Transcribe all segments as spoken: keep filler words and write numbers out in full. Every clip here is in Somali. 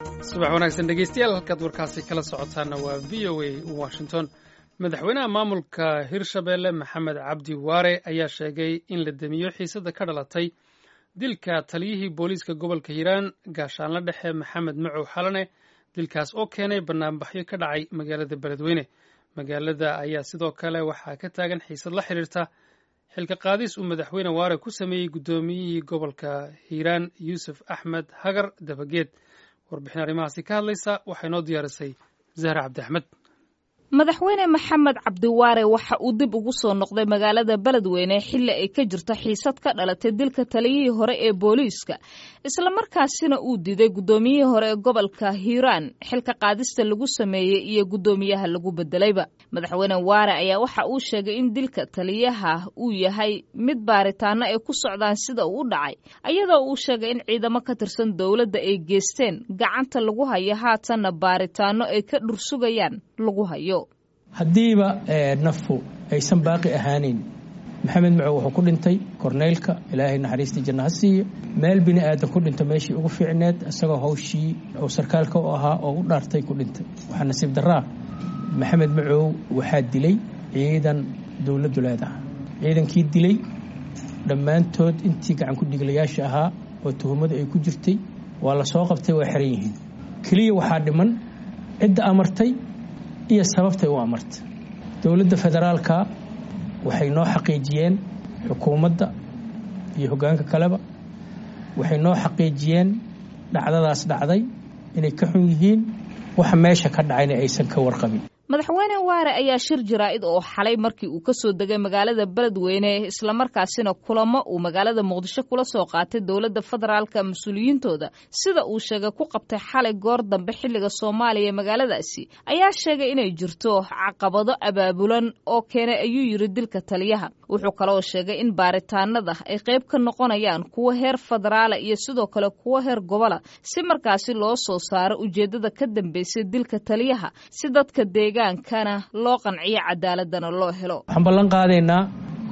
Subax wanaagsan dhegeystayaal, halkaad warkaasi kala socotaana waa V O A Washington. Madaxweynaha maamulka Hirshabeelle, Maxamed Cabdi Waare, ayaa sheegay in la demiyo xiisada ka dhalatay dilka taliyihii booliiska gobolka Hiiraan, gaashaanle dhexe Maxamed Macow Xalane, dilkaas oo keenay banaanbaxyo ka dhacay magaalada Beledweyne. Magaalada ayaa sidoo kale waxaa ka taagan xiisad la xiriirta xilka qaadis uu madaxweyne Waare ku sameeyey guddoomiyihii gobolka Hiiraan, Yuusuf Axmed Hagar Dabageed. Warbixin arrimahaasi ka hadlaysa waxay noo diyaarisay Zahra Cabdi Axmed. Madaxweyne Maxamed Cabdiwaare waxa uu dib ugu soo noqday magaalada Beledweyne xilli ay ka jirto xiisad ka dhalatay dilka taliyihii hore ee booliiska, islamarkaasina uu diiday guddoomiyihii hore ee gobolka Hiiraan xilka qaadista lagu sameeyey iyo guddoomiyaha lagu bedelayba. Madaxweyne Waare ayaa waxa uu sheegay in dilka taliyaha uu yahay mid baaritaano ay ku socdaan sida uu u dhacay, iyadoo uu sheegay in ciidamo ka tirsan dowladda ay geesteen, gacanta lagu hayo, haatanna baaritaano ay ka dhursugayaan lagu hayo. Haddiiba nafku aysan baaqi ahaaneyn, Maxamed Macow wuxuu ku dhintay korneylka, Ilaahay naxariistii janna ha siiyo, meel bini aadan ku dhinto meeshii ugu fiicneed, isagoo hawshii uu sarkaalka u ahaa oo u dhaartay ku dhintay. Waxaa nasiib darraa, Maxamed Macow waxaa dilay ciidan dowladdu leedaha. Ciidankii dilay dhammaantood, intii gacan ku dhiglayaasha ahaa oo tuhumadu ay ku jirtay, waa la soo qabtay, waa xiran yihiin. Keliya waxaa dhiman cidda amartay iyo sababtay u amartay. Dowladda federaalka waxay noo xaqiijiyeen, xukuumadda iyo hoggaanka kaleba waxay noo xaqiijiyeen dhacdadaas dhacday inay ka xun yihiin, waxa meesha ka dhacayna aysan ka warqabin. Madaxweyne Waare ayaa shir jaraa'id oo xalay markii uu ka soo degay magaalada Beledweyne, islamarkaasina kulamo uu magaalada Muqdisho kula soo qaatay dowladda federaalka mas-uuliyiintooda, sida uu sheegay, ku qabtay xalay goor dambe xilliga Soomaaliya magaaladaasi, ayaa sheegay inay jirto caqabado abaabulan oo keenay, ayuu yidhi, dilka taliyaha. Wuxuu kaloo sheegay in baaritaanada ay qayb ka noqonayaan kuwo heer federaala iyo sidoo kale kuwo heer gobola, si markaasi loo soo saaro ujeeddada ka dambeysay dilka taliyaha, si dadka deegaankana loo qanciyo, cadaaladana loo helo. Waxaan ballan qaadaynaa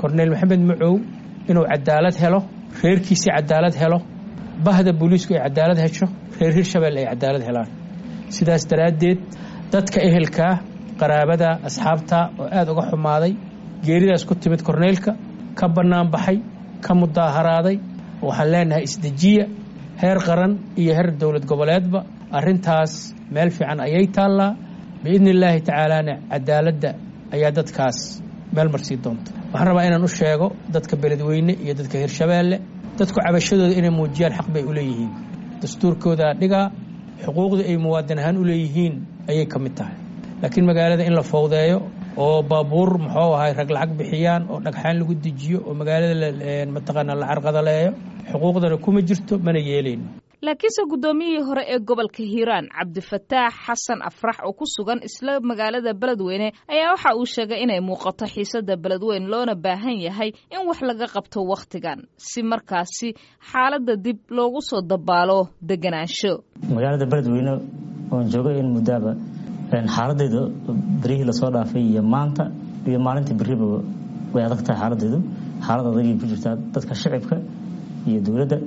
Korneyl Maxamed Macow inuu cadaalad helo, reerkiisii cadaalad helo, bahda booliisku ay cadaalad hesho, reer Hirshabelle ay cadaalad helaan. Sidaas daraaddeed, dadka ehelkaa, qaraabada, asxaabta oo aada uga xumaaday geeridaas ku timid korneylka, ka bannaan baxay, ka mudaaharaaday, waxaan leenahay isdejiya. Heer qaran iyo heer dowlad goboleedba arrintaas meel fiican ayay taallaa. Biidni illaahi tacaalaana cadaaladda ayaa dadkaas meel marsii doonta. Waxaan rabaa inaan u sheego dadka Beledweyne iyo dadka Hirshabeelle, dadku cabashadooda inay muujiyaan xaq bay u leeyihiin, dastuurkoodaa dhigaa, xuquuqda ay muwaadin ahaan u leeyihiin ayay ka mid tahay. Laakiin magaalada in la fowdeeyo oo baabuur, muxuu ahay, rag lacag bixiyaan oo dhagxaan lagu dejiyo oo magaalada mataqaanaa la carqadaleeyo, xuquuqdana kuma jirto, mana yeelayno. Laakiinse guddoomiyihii hore ee gobolka Hiiraan, Cabdifataax Xasan Afrax, oo ku sugan isla magaalada Beledweyne, ayaa waxa uu sheegay inay muuqato xiisada Beledweyne, loona baahan yahay in wax laga qabto wakhtigan, si markaasi xaaladda dib loogu soo dabaalo deganaansho. Magaalada Beledweyne oon joogay in muddaaba, xaaladeedu berihii lasoo dhaafay iyo maanta iyo maalintii beriba way adag tahay. Xaaladeedu xaalad adagay ku jirtaa, dadka shicibka iyo dowladda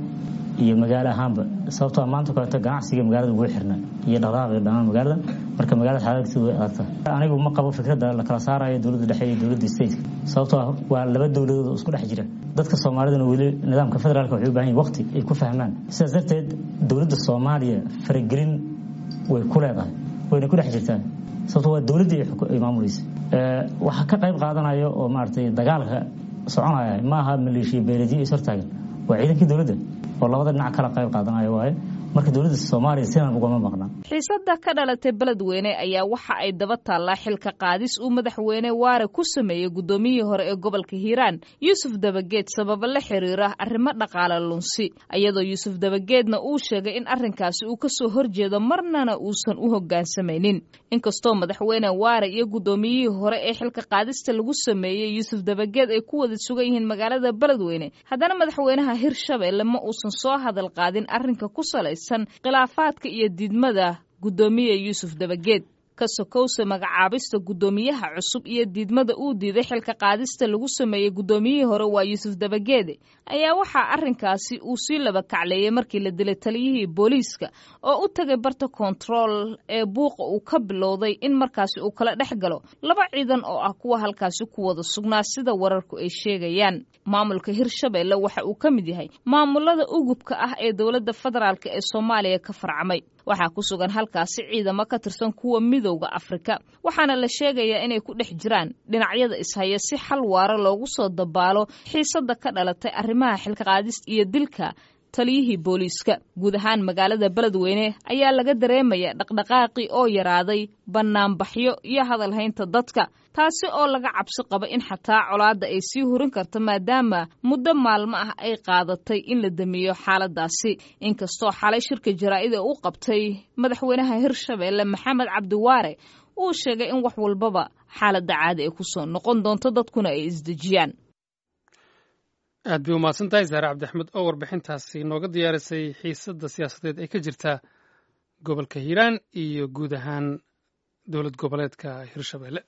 iyo magaalo ahaanba, sababtoo maanta kaleeto ganacsiga magaalada wuu xirnaa iyo dhaqdhaqaaqi dhammaan magaalada. Marka magaalada xaaladkeedu way adag tahay. Anigu ma qabo fikradda la kala saarayo dowladda dhexe iyo dowladda stateka, sababtoo ah waa laba dowladood oo isku dhex jira. Dadka Soomaalidana weli nidaamka federaalka waxay u baahan yihin waqti ay ku fahmaan. Sidaas darteed dowladda Soomaaliya faragelin way ku leedahay, wayna ku dhex jirtaa, sababtoo waa dowladdii ay maamulaysa. Waxa ka qayb qaadanaya oo maaragtay dagaalka soconaya maaha maleeshiya beeladiyo is hortaagan, waa ciidankii dowladda oo labada dhinac kala qayb qaadanaya waaye. Marka dowladda Soomaaliya sidan ugama maqna. Xiisada ka dhalatay Beledweyne ayaa waxa ay daba taallaa xilka qaadis uu madaxweyne Waare ku sameeyey guddoomiyihii hore ee gobolka Hiiraan, Yuusuf Dabageed, sababo la xiriira arrimo dhaqaale lunsi, iyadoo Yuusuf Dabageedna uu sheegay in arrinkaasi uu kasoo horjeedo, marnana uusan u hoggaansamaynin. Inkastoo madaxweyne Waare iyo guddoomiyihii hore ee xilka qaadista lagu sameeyey, Yuusuf Dabageed, ay ku wada sugan yihiin magaalada Beledweyne, haddana madaxweynaha Hirshabelle ma uusan soo hadal qaadin arrinka ku salaysan khilaafaadka iyo diidmada guddoomiye Yuusuf Dabageed. Ka sokowse magacaabista guddoomiyaha cusub iyo diidmada uu diiday xilka qaadista lagu sameeyey guddoomiyihii hore waa Yuusuf Dabageede, ayaa waxaa arrinkaasi uu sii laba kacleeyey markii la dilay taliyihii booliiska oo u tagay barta kontarool ee buuqa uu ka bilowday in markaasi uu kala dhex galo laba ciidan oo ah kuwa halkaasi ku wada sugnaa, sida wararku ay sheegayaan. Maamulka Hirshabeelle waxa uu ka mid yahay maamulada ugubka ah ee dowladda federaalk ee Soomaaliya ka farcamay. Waxaa ku sugan halkaasi ciidamo ka tirsan kuwa Midowda Afrika, waxaana la sheegayaa inay ku dhex jiraan dhinacyada ishaya si xal waara loogu soo dabaalo xiisadda ka dhalatay arrimaha xilka qaadista iyo dilka taliyihii booliiska. Guud ahaan magaalada Beledweyne ayaa laga dareemaya dhaqdhaqaaqii oo yaraaday, bannaanbaxyo iyo hadalhaynta dadka, taasi oo laga cabsi qabo in xataa colaadda ay sii hurin karto, maadaama muddo maalmo ah ay qaadatay in la damiyo xaaladaasi. Inkastoo xalay shirka jaraa'ida u qabtay madaxweynaha Hirshabeelle Maxamed Cabdiwaare uu sheegay in wax walbaba xaaladda caadi ay kusoo noqon doonto, dadkuna ay isdejiyaan. Aad bay umahadsan tahay Saare Cabdiaxmed oo warbixintaasi nooga diyaarisay xiisadda siyaasadeed ee ka jirta gobolka Hiiraan iyo guud ahaan dowlad goboleedka Hirshabeelle.